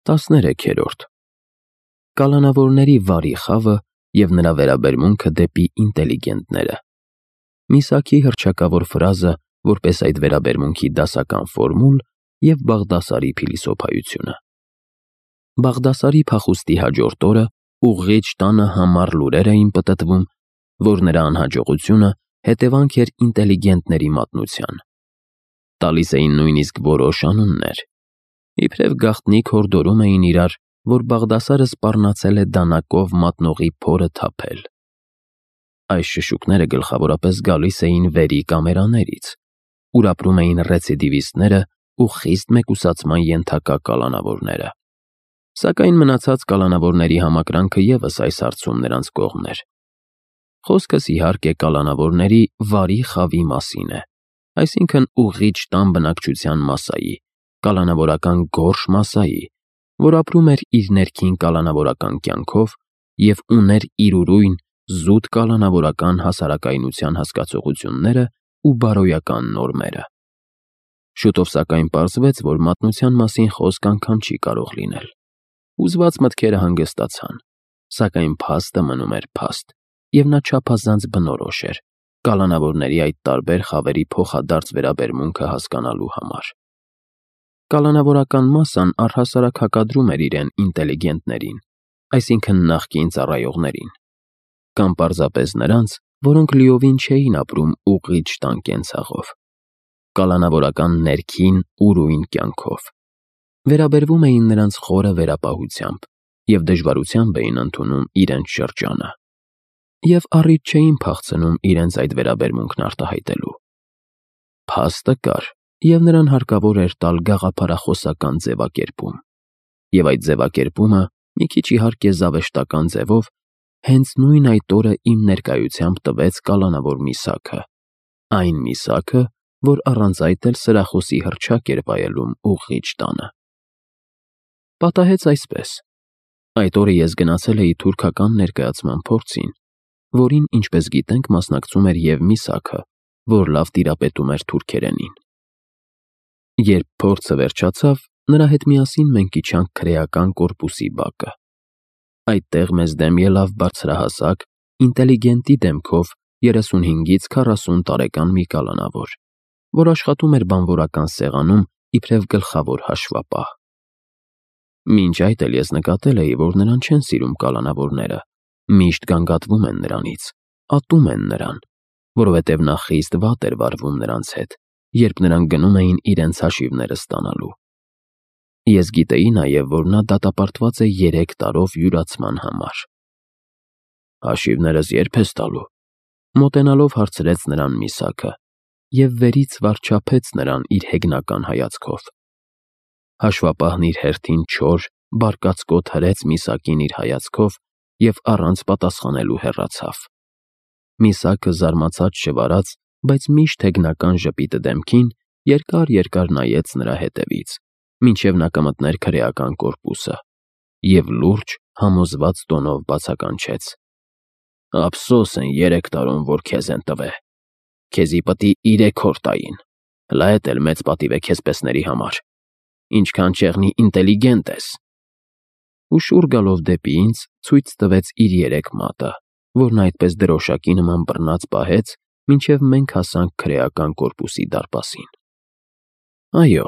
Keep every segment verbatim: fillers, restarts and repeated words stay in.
տասներեքերորդ Կալանավորների վարի խավը և նրա վերաբերմունքը դեպի ինտելիգենտները։ Միսաքի հռչակավոր ֆրազը որպես այդ վերաբերմունքի դասական ֆորմուլ և Բաղդասարի փիլիսոփայությունը։ Բաղդասարի փախուստի հաջորդ օրը ուղղիչ տանը համառ լուրեր էին պտտվում, որ նրա անհաջողությունը հետևանք էր ինտելիգենտների մատնության։ Տալիս էին նույնիսկ որոշ անուններ։ Իբրև գաղտնիք հորդորում էին իրար, որ Բաղդասարը սպառնացել է դանակով մատնողի փորը թափել։ Այս շշուկները գլխավորապես գալիս էին վերի կամերաներից, ուր ապրում էին ռեցիդիվիստները ու խիստ մեկուսացման ենթակա կալանավորները։ Սակայն մնացած կալանավորների համակրանքը ևս այս հարցում նրանց կողմն էր։ Խոսքս իհարկե կալանավորների վարի խավի մասին է, այսինքն ուղղիչ տան բնակչության մասսայի, կալանավորական գորշ մասսայի, որ ապրում էր իր ներքին կալանավորական կյանքով և ուներ իր ուրույն զուտ կալանավորական հասարակայնության հասկացությունները ու բարոյական նորմերը։ Շուտով սակայն պարզվեց, որ մատնության մասին խոսք անգամ չի կարող լինել։ Հուզված մտքերը հանգստացան, սակայն փաստը մնում էր փաստ, և նա չափազանց բնորոշ էր կալանավորների այդ տարբեր խավերի փոխադարձ վերաբերմունքը հասկանալու համար։ Կալանավորական մասսան առհասարակ հակադրում էր իրեն ինտելիգենտներին, այսինքն նախկին ծառայողներին, կամ պարզապես նրանց, որոնք լիովին չէին ապրում ուղղիչ տան կենցաղով, կալանավորական ներքին ուրույն կյանքով, վերաբերվում էին նրանց խորը վերապահությամբ և դժվարությամբ էին ընդունում իրենց շրջանը, և առիթ չէին փախցնում իրենց այդ վերաբերմունքն արտահայտելու։ Փաստը կար, և նրան հարկավոր էր տալ գաղափարախոսական ձևակերպում, և այդ ձևակերպումը, մի քիչ իհարկե զավեշտական ձևով, հենց նույն այդ օրը իմ ներկայությամբ տվեց կալանավոր Միսաքը, այն Միսաքը, որ առանց այդ էլ սրախոսի հռչակ էր վայելում ուղղիչ տանը։ Պատահեց այսպես. այդ օրը ես գնացել էի թուրքական ներկայացման փորձին, որին, ինչպես գիտենք, մասնակցում էր և Միսաքը, որ լավ տիրապետում էր թուրքերենին։ Երբ փորձը վերջացավ, նրա հետ միասին մենք իջանք քրեական կորպուսի բակը։ Այդտեղ մեզ դեմ ելավ բարձրահասակ, ինտելիգենտի դեմքով երեսունհինգից քառասուն տարեկան մի կալանավոր, որ աշխատում էր բանվորական սեղանում իբրև գլխավոր հաշվապահ։ Մինչ այդ էլ ես նկատել էի, որ նրան չեն սիրում կալանավորները, միշտ գանգատվում են նրանից, ատում են նրան, որովհետև նա խիստ վատ էր վարվում նրանց հետ, երբ նրանք գնում էին իրենց հաշիվները ստանալու։ Ես գիտեի նաև, որ նա դատապարտված է երեք տարով յուրացման համար։ «Հաշիվներս ե՞րբ ես տալու», մոտենալով հարցրեց նրան Միսաքը, և վերից վառչապեց նրան իր հեգնական հայացքով։ Հաշվապահն իր հերթին չոր, բարկացկոտ հրեց Միսակին իր հայացքով և առանց պատասխանելու հեռացավ։ Միսաքը զարմացած չվարած, բայց միշտ հեգնական ժպիտը դեմքին, երկար֊երկար նայեց նրա հետևից, մինչև նա կմտներ քրեական կորպուսը, և լուրջ, համոզված տոնով բացականչեց. «Ափսոս են երեք տարում, որ քեզ են տվե։ Քեզի պտի իրեք օր տային, հլա էդ էլ մեծ պատիվ է քեզպեսների համար, ինչքան չեղնի ինտելիգենտ ես»։ Ու շուռ գալով դեպի ինձ, ցույց տվեց իր երեք մատը, որ նա այդպես դրոշակի նման բռնած պահեց, մինչև մենք հասանք քրեական կորպուսի դարպասին։ Այո,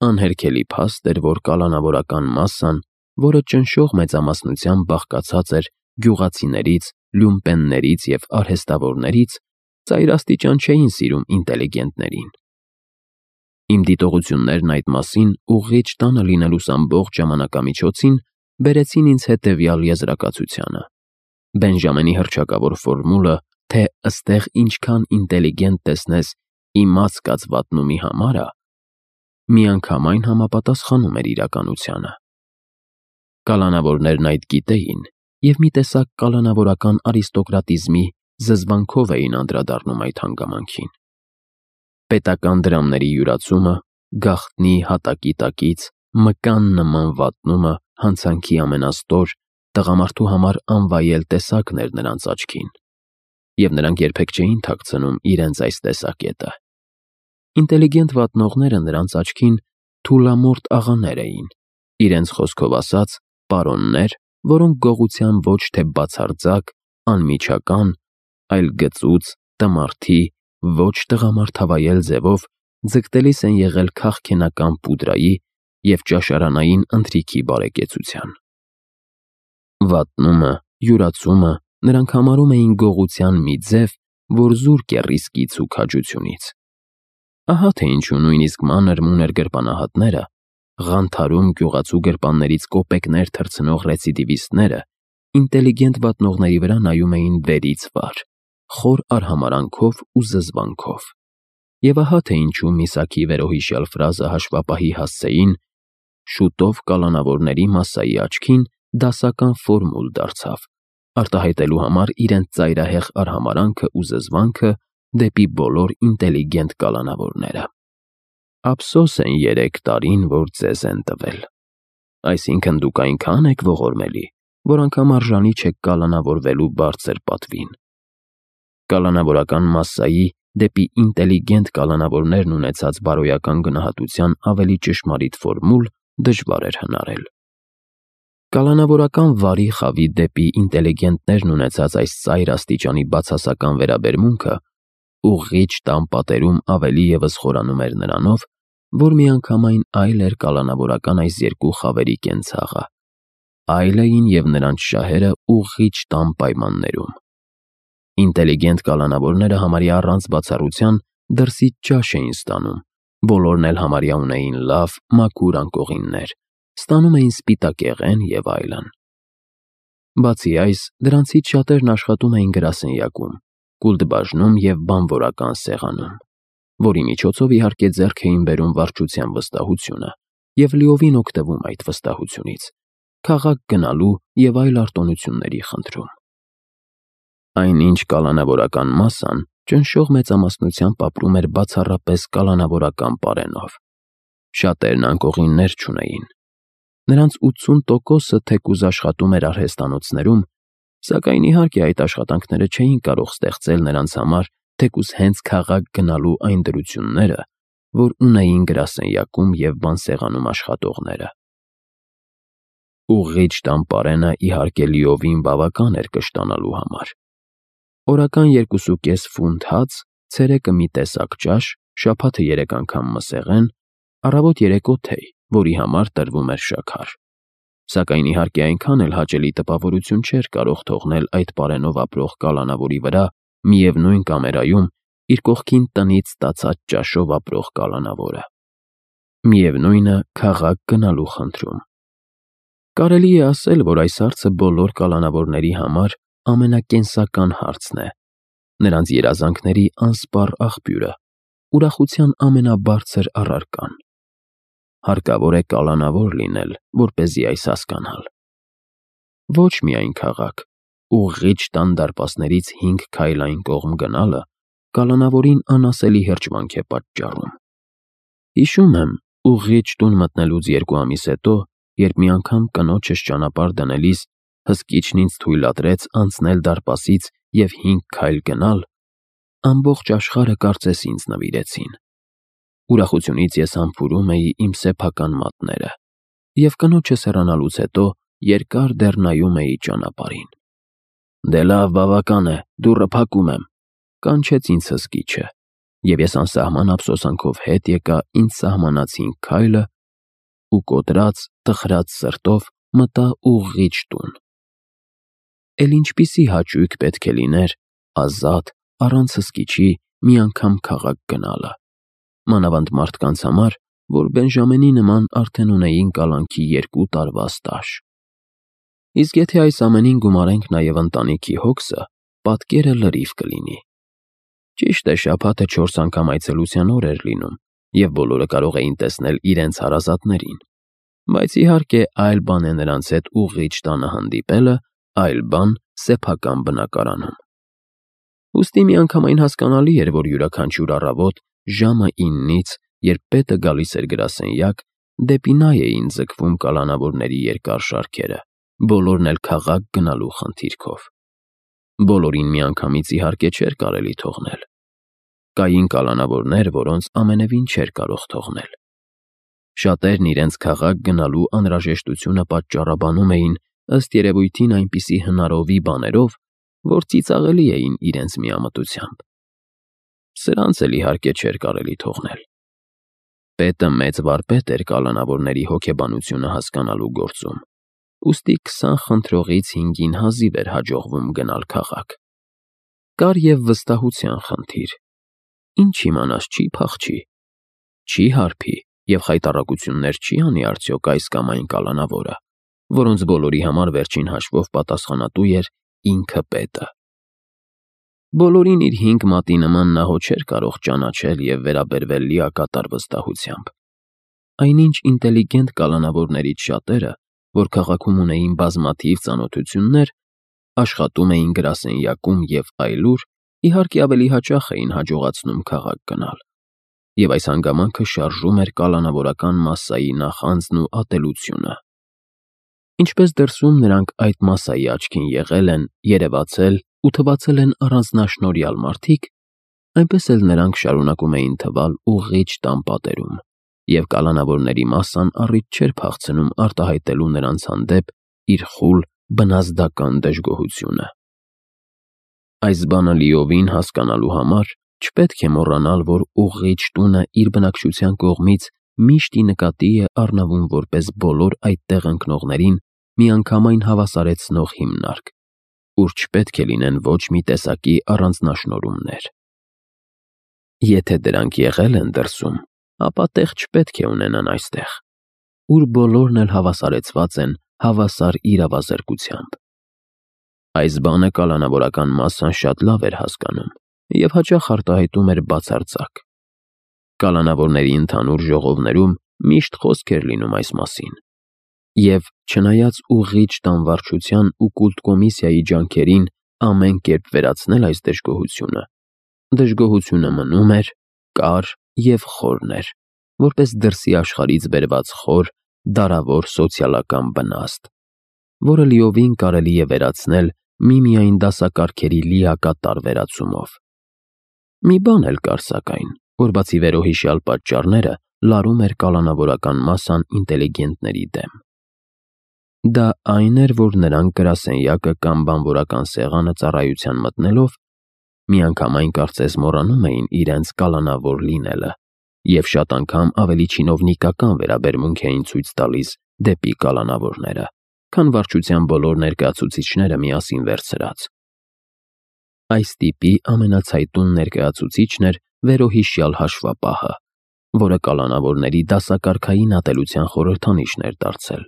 անհերքելի փաստ էր, որ կալանավորական մասսան, որը ճնշող մեծամասնությամբ բաղկացած էր գյուղացիներից, լյումպեններից և արհեստավորներից, ծայրաստիճան չէին սիրում ինտելիգենտներին։ Իմ դիտողություններն այդ մասին ուղղիչ տանը լինելուս ամբողջ ժամանակամիջոցին բերեցին ինձ հետևյալ եզրակացությանը. Բենջամինի հռչակավոր ֆորմուլը, թե «ըստեղ ինչքան ինտելիգենտ տեսնես, իմաց կաց վատնումի համար ա», միանգամայն համապատասխանում էր իրականությանը։ Կալանավորներն այդ գիտեին և մի տեսակ կալանավորական արիստոկրատիզմի զզվանքով էին անդրադառնում այդ հանգամանքին։ Պետական դրամների յուրացումը, գաղտնի հատակի տակից, մկան նման վատնումը հանցանքի ամենաստոր, տղամարդու համար անվայել տեսակն էր նրանց աչքին, և նրանք երբեք չէին թաքցնում իրենց այս տեսակետը։ Ինտելիգենտ վատնողները նրանց աչքին թուլամորթ աղաներ էին, Իրենց խոսքով ասած, պարոններ, որոնք գողության ոչ թե բացարձակ, անմիջական, այլ գծուծ, տմարդի, ոչ տղամարդավայել ձևով ձգտելիս են եղել քաղքենական պուդրայի և ճաշարանային ընթրիքի բարեկեցության։ Վատնումը, յուրացումը նրանք համարում էին գողության մի ձև, որ զուրկ է ռիսկից ու քաջությունից։ Ահա թե ինչու նույնիսկ մանր-մունր գրպանահատները, Ղանթարում գյուղացու գրպաններից կոպեկներ թռցնող ռեցիդիվիստները ինտելիգենտ վատնողների վրա նայում էին վերից վար, խոր արհամարհանքով ու զզվանքով։ Եվ ահա թե ինչու Միսաքի վերոհիշյալ ֆրազը հաշվապահի հասցեին, շուտով կալանավորների մասսայի աչքին դասական ֆորմուլ դարձավ, արտահայտելու համար իրենց ծայրահեղ արհամարհանքը ու զզվանքը դեպի բոլոր ինտելիգենտ կալանավորները։ Ափսոս են երեք տարին, որ ձեզ են տվել։ Այսինքն դուք այնքան եք ողորմելի, որ անգամ արժանի չեք կալանավորվելու բարձր պատվին։ Կալանավորական մասսայի դեպի ինտելիգենտ կալանավորներն ունեցած բարոյական գնահատության ավելի ճշմարիտ ֆորմուլ դժվար էր հնարել։ Կալանավորական վարի խավի դեպի ինտելիգենտներն ունեցած այս ծայր աստիճանի բացասական վերաբերմունքը ուղղիչ տան պատերում ավելի ևս խորանում էր նրանով, որ միանգամայն այլ էր կալանավորական այս երկու խավերի կենցաղը, այլ էին և նրանց շահերը ուղղիչ տան պայմաններում։ Ինտելիգենտ կալանավորները համարյա առանց բացառության դրսից ճաշ էին ստանում, բոլորն էլ համարյա ունեին լավ, մաքուր անկողիններ, ստանում էին սպիտակեղեն և այլն։ Բացի այս, դրանցից շատերն աշխատում էին գրասենյակում, կուլտբաժնում և բանվորական սեղանում, որի միջոցով իհարկե ձեռք էին բերում վարչության վստահությունը և լիովին օգտվում այդ վստահությունից, քաղաք գնալու և այլ արտոնությունների խնդրում։ Այնինչ կալանավորական մասսան ճնշող մեծամասնությամբ ապրում էր բացառապես կալանավորական պարենով։ Շատերն անկողիններ չունեին։ Նրանց ութսուն տոկոսը թեկուզ աշխատում էր արհեստանոցներում, սակայն իհարկե այդ աշխատանքները չէին կարող ստեղծել նրանց համար թեկուզ հենց քաղաք գնալու այն դրությունները, որ ունեին գրասենյակում և բանսեղանում աշխատողները։ Ուղղիչ տան պարենը իհարկե լիովին բավական էր կշտանալու համար։ Օրական երկուսուկես ֆունտ հաց, ցերեկը մի տեսակ ճաշ, շաբաթը երեք անգամ մսեղեն, առավոտ-երեկո թեյ, որի համար տրվում էր շաքար։ Սակայն իհարկե այնքան էլ հաճելի տպավորություն չէր կարող թողնել այդ պարենով ապրող կալանավորի վրա միևնույն կամերայում իր կողքին տնից ստացած ճաշով ապրող կալանավորը։ Միևնույնը քաղաք գնալու խնդրում։ Կարելի է ասել, որ այս հարցը բոլոր կալանավորների համար ամենակենսական հարցն է, նրանց երազանքների անսպառ աղբյուրը, ուրախության ամենաբարձր առարկան։ Հարկավոր է կալանավոր լինել, որպեսզի այս հասկանալ։ Ոչ միայն քաղաք, ուղղիչ տան դարպասներից հինգ քայլ այն կողմ գնալը կալանավորին անասելի հրճվանք է պատճառում։ Հիշում եմ, ուղղիչ տուն մտնելուց երկու ամիս հետո, երբ մի անգամ կնոջս ճանապարհ դնելիս հսկիչն ինձ թույլատրեց անցնել դարպասից և հինգ քայլ գնալ, ամբողջ աշխարհը կարծես ինձ նվիրեցին։ Ուրախությունից ես համբուրում էի իմ սեփական մատները և կնոջս հեռանալուց հետո երկար դեռ նայում էի ճանապարհին։ «Դե լավ, բավական է, դուռը փակում եմ», կանչեց ինձ հսկիչը, և ես անսահման ափսոսանքով հետ եկա ինձ սահմանած հինգ քայլը ու կոտրած, տխրած սրտով մտա ուղղիչ տուն։ Էլ ինչպիսի հաճույք պետք է լիներ ազատ, առանց հսկիչի մի անգամ քաղաք գնալը, մանավանդ մարդկանց համար, որ Բենժամենի նման արդեն ունեին կալանքի երկու տարվա ստաժ։ Իսկ եթե այս ամենին գումարենք նաև ընտանիքի հոգսը, պատկերը լրիվ կլինի։ Ճիշտ է, շաբաթը չորս անգամ այցելության օր էր լինում, և բոլորը կարող էին տեսնել իրենց հարազատներին, բայց իհարկե այլ բան է նրանց հետ ուղղիչ տանը հանդիպելը, այլ բան սեփական բնակարանում։ Ուստի միանգամայն հասկանալի էր, որ յուրաքանչյուր առավոտ ժամը իննից, երբ պետը գալիս էր գրասենյակ, դեպի նա էին ձգվում կալանավորների երկար շարքերը, բոլորն էլ քաղաք գնալու խնդիրքով։ Բոլորին միանգամից իհարկե չէր կարելի թողնել։ Կային կալանավորներ, որոնց ամենևին չէր կարող թողնել։ Շատերն իրենց քաղաք գնալու անհրաժեշտությունը պատճառաբանում էին ըստ երևույթին այնպիսի հնարովի բաներով, որ ծիծաղելի էին իրենց միամտությամբ։ Սրանց էլ իհարկե չէր կարելի թողնել։ Պետը մեծ վարպետ էր կալանավորների հոգեբանությունը հասկանալու գործում, ուստի քսան խնդրողից հինգին հազիվ էր հաջողվում գնալ քաղաք։ Կար և վստահության խնդիր։ Ինչ իմանաս, չի փախչի, չի հարբի և խայտառակություններ չի անի արդյոք այս կամ այն կալանավորը, որոնց բոլորի համար վերջին հաշվով պատասխանատու էր ինքը պետը։ Բոլորին իր հինգ մատի նման նա հո չէր կարող ճանաչել և վերաբերվել լիակատար վստահությամբ։ Այնինչ ինտելիգենտ կալանավորներից շատերը, որ քաղաքում ունեին բազմաթիվ ծանոթություններ, աշխատում էին գրասենյակում և այլուր, իհարկե ավելի հաճախ էին հաջողացնում քաղաք գնալ, և այս հանգամանքը շարժում էր կալանավորական մասսայի նախանձն ու ատելությունը։ Ինչպես դրսում նրանք այդ մասսայի աչքին եղել են, երևացել ու թվացել են առանձնաշնորհյալ մարդիկ, այնպես էլ նրանք շարունակում էին թվալ ուղղիչ տան պատերում, և կալանավորների մասսան առիթ չէր փախցնում արտահայտելու նրանց հանդեպ իր խուլ բնազդական դժգոհությունը։ Այս բանը լիովին հասկանալու համար չպետք է մոռանալ, որ ուղղիչ տունը իր բնակչության կողմից միշտ ի նկատի է առնվում որպես բոլոր այդտեղ ընկնողներին միանգամայն հավասարեցնող հիմնարկ, ուր չպետք է լինեն ոչ մի տեսակի առանձնաշնորհումներ։ Եթե դրանք եղել են դրսում, ապա տեղ չպետք է ունենան այստեղ, ուր բոլորն էլ հավասարեցված են հավասար իրավազրկությամբ։ Այս բանը կալանավորական մասսան շատ լավ էր հասկանում և հաճախ արտահայտում էր բացարձակ։ Կալանավորների ընդհանուր ժողովներում միշտ խոսք էր լինում այս մասին, և չնայած ուղղիչ տան վարչության ու կուլտ֊կոմիսիայի ջանքերին ամեն կերպ վերացնել այս դժգոհությունը, դժգոհությունը մնում էր, կար և խորն էր, որպես դրսի աշխարհից բերված խոր, դարավոր սոցիալական բնաստ, որը լիովին կարելի է վերացնել միմիայն դասակարգերի լիակատար վերացումով։ Մի բան էլ կար սակայն, որ բացի վերոհիշյալ պատճառները լարում էր կալանավորական մասսան ինտելիգենտների դեմ։ Դա այն էր, որ նրանք գրասենյակը կամ բանվորական սեղանը ծառայության մտնելով միանգամայն կարծես մոռանում էին իրենց կալանավոր լինելը և շատ անգամ ավելի չինովնիկական վերաբերմունք էին ցույց տալիս դեպի կալանավորները, քան վարչության բոլոր ներկայացուցիչները միասին վերցրած։ Այս տիպի ամենացայտուն ներկայացուցիչն էր վերոհիշյալ հաշվապահը, որը կալանավորների դասակարգային ատելության խորհրդանիշն էր դարձել։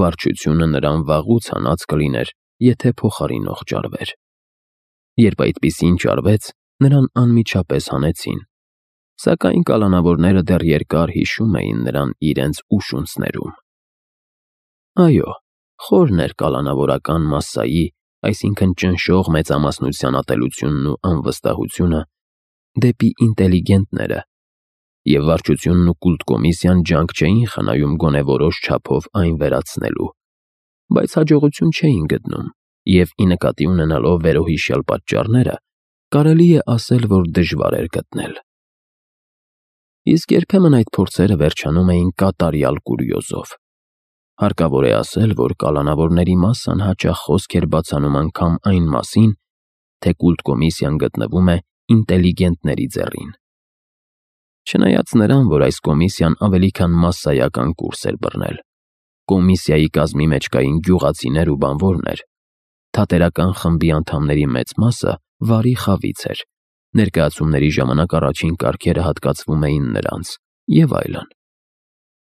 Վարչությունը նրան վաղուց հանած կլիներ, եթե փոխարինող ճարվեր։ Երբ այդպիսին ճարվեց, նրան անմիջապես հանեցին, սակայն կալանավորները դեռ երկար հիշում էին նրան իրենց ուշունցներում։ Այո, խորն էր կալանավորական մասսայի, այսինքն ճնշող մեծամասնության ատելությունն ու անվստահությունը դեպի ինտելիգենտները, և վարչությունն ու կուլտ֊կոմիսիան ջանք չէին խնայում գոնե որոշ չափով այն վերացնելու, բայց հաջողություն չէին գտնում, և ի նկատի ունենալով վերոհիշյալ պատճառները, կարելի է ասել, որ դժվար էր գտնել։ Իսկ երբեմն այդ փորձերը վերջանում էին կատարյալ կուրիոզով։ Հարկավոր է ասել, որ կալանավորների մասսան հաճախ խոսք էր բացանում անգամ այն մասին, թե կուլտ-կոմիսիան գտնվում է ինտելիգենտների ձեռին։ Չնայած նրան, որ այս կոմիսիան ավելի քան մասսայական կուրս էր բռնել, կոմիսիայի կազմի մեջ կային գյուղացիներ ու բանվորներ, թատերական խմբի անդամների մեծ մասը վարի խավից էր, ներկայացումների ժամանակ առաջին կարգերը հատկացվում էին նրանց և այլն։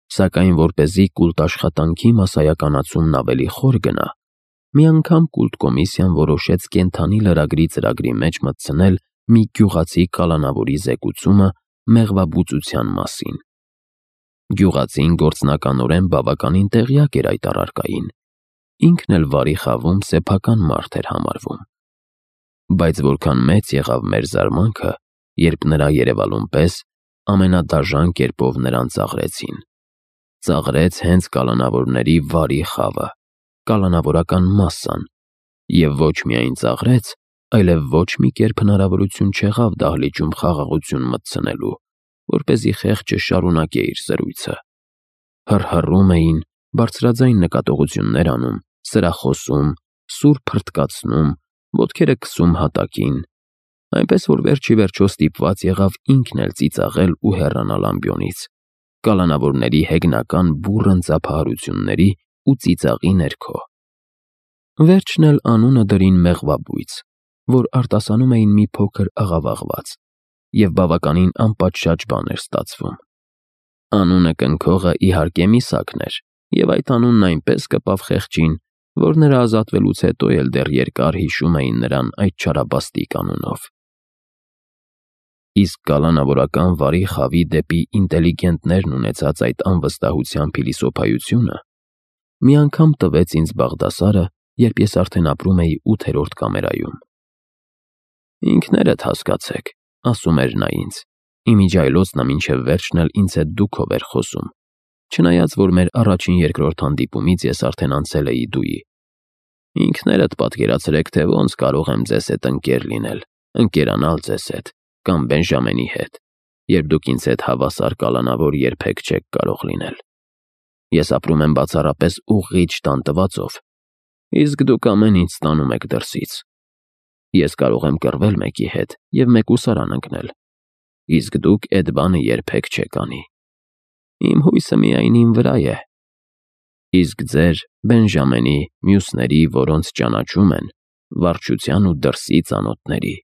Սակայն որպեսզի կուլտ-աշխատանքի մասսայականացումն ավելի խոր գնա, մի անգամ կուլտ-կոմիսիան որոշեց կենդանի լրագրի ծրագրի մեջ մտցնել մի գյուղացի կալանավորի զեկուցումը մեղվաբուծության մասին։ Գյուղացին գործնականորեն բավականին տեղյակ էր այդ առարկային, ինքն էլ վարի խավում սեփական մարդ էր համարվում։ Բայց որքան մեծ եղավ մեր զարմանքը, երբ նրա երևալուն պես ամենադաժան կերպով նրան ծաղրեցին։ Ծաղրեց հենց կալանավորների վարի խավը, կալանավորական մասսան, և ոչ միայն ծաղրեց, այլև ոչ մի կերպ հնարավորություն չեղավ դահլիճում խաղաղություն մտցնելու, որպեսզի խեղճը շարունակե իր զրույցը։ Հռհռում էին, բարձրաձայն նկատողություններ անում, սրախոսում, սուր փռթկացնում, ոտքերը քսում հատակին, այնպես որ վերջի վերջո ստիպված եղավ ինքն էլ ծիծաղել ու հեռանալ ամբիոնից, կալանավորների հեգնական բուռն ծափահարությունների ու ծիծաղի ներքո։ Վերջն էլ անունը դրին մեղվաբույծ, որ արտասանում էին մի փոքր աղավաղված, և բավականին անպատշաճ բան էր ստացվում։ Անունը կնքողը իհարկե Միսակն էր, և այդ անունն այնպես կպավ խեղճին, որ նրա ազատվելուց հետո էլ դեռ երկար հիշում էին նրան այդ չարաբաստիկ անունով։ Իսկ կալանավորական վարի խավի դեպի ինտելիգենտներն ունեցած այդ անվստահության փիլիսոփայությունը մի անգամ տվեց ինձ Բաղդասարը, երբ ես արդեն ապրում էի ութերորդ կամերայում։ «Ինքներդ հասկացեք», ասում էր նա ինձ, իմիջիայլոցն մինչև վերջն էլ ինձ հետ դուքով էր խոսում, չնայած որ մեր առաջին-երկրորդ հանդիպումից ես արդեն անցել էի դուի։ «Ինքներդ պատկերացրեք, թե ոնց կարող եմ ձեզ հետ ընկեր լինել, ընկերանալ ձեզ հետ, կամ Բենժամենի հետ, երբ դուք ինձ հետ հավասար կալանավոր երբեք չեք կարող լինել։ Ես ապրում եմ բացառապես ուղղիչ տան տվածով, իսկ դուք ամեն ինչ ստանում եք դրսից։ Ես կարող եմ կռվել մեկի հետ և մեկուսարան ընկնել, իսկ դուք էդ բանը երբեք չեք անի։ Իմ հույսը միայն իմ վրա է։ Իսկ ձեր, Բենժամենի, մյուսների, որոնց ճանաչում են, վարչության ու դրսի ծանոթների,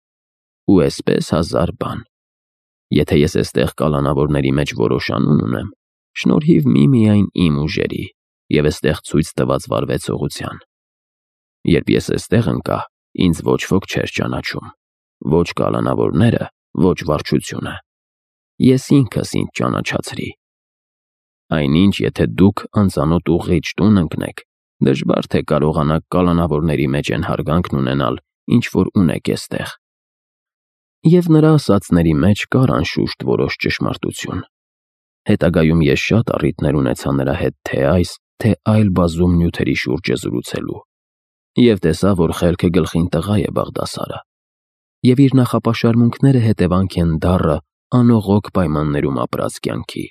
ու էսպես հազար բան։ Եթե ես էստեղ կալանավորների մեջ որոշ անուն ունեմ, շնորհիվ միմիայն իմ ուժերի և էստեղ ցույց տված վարվեցողության։ Երբ ես էստեղ ընկա, ինձ ոչ ոք չէր ճանաչում, ոչ կալանավորները, ոչ վարչությունը։ Ես ինքս ինձ ճանաչացրի։ Այնինչ, եթե դուք անծանոթ ուղղիչ տուն ընկնեք, դժվար թե կարողանաք կալանավորների մեջ այն հարգանքն ունենալ, ինչ որ ունեք էստեղ։ Եվ նրա ասածների մեջ կար անշուշտ որոշ ճշմարտություն։ Հետագայում ես շատ առիթներ ունեցա նրա հետ թե այս, թե այլ բազում նյութերի շուրջը զրուցելու, և տեսա, որ խելքը գլխին տղա է Բաղդասարը, և իր նախապաշարմունքները հետևանք են դառը, անողոք պայմաններում ապրած կյանքի։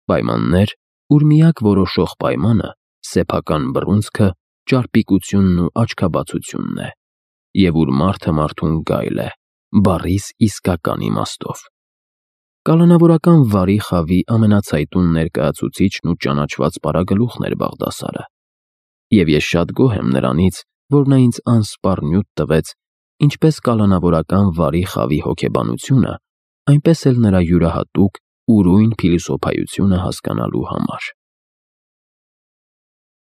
Պայմաններ, ուր միակ որոշող պայմանը սեփական բռունցքը, ճարպիկությունն ու աչքաբացությունն է, և ուր մարդը մարդուն գայլ է, բառիս իսկական իմաստով։ Կալանավորական վարի խավի ամենացայտուն ներկայացուցիչն ու ճանաչված պարագլուխն էր Բաղդասարը, և ես շատ գոհ եմ նրանից, որ նա ինձ անսպառ նյութ տվեց ինչպես կալանավորական վարի խավի հոգեբանությունը, այնպես էլ նրա յուրահատուկ, ուրույն փիլիսոփայությունը հասկանալու համար։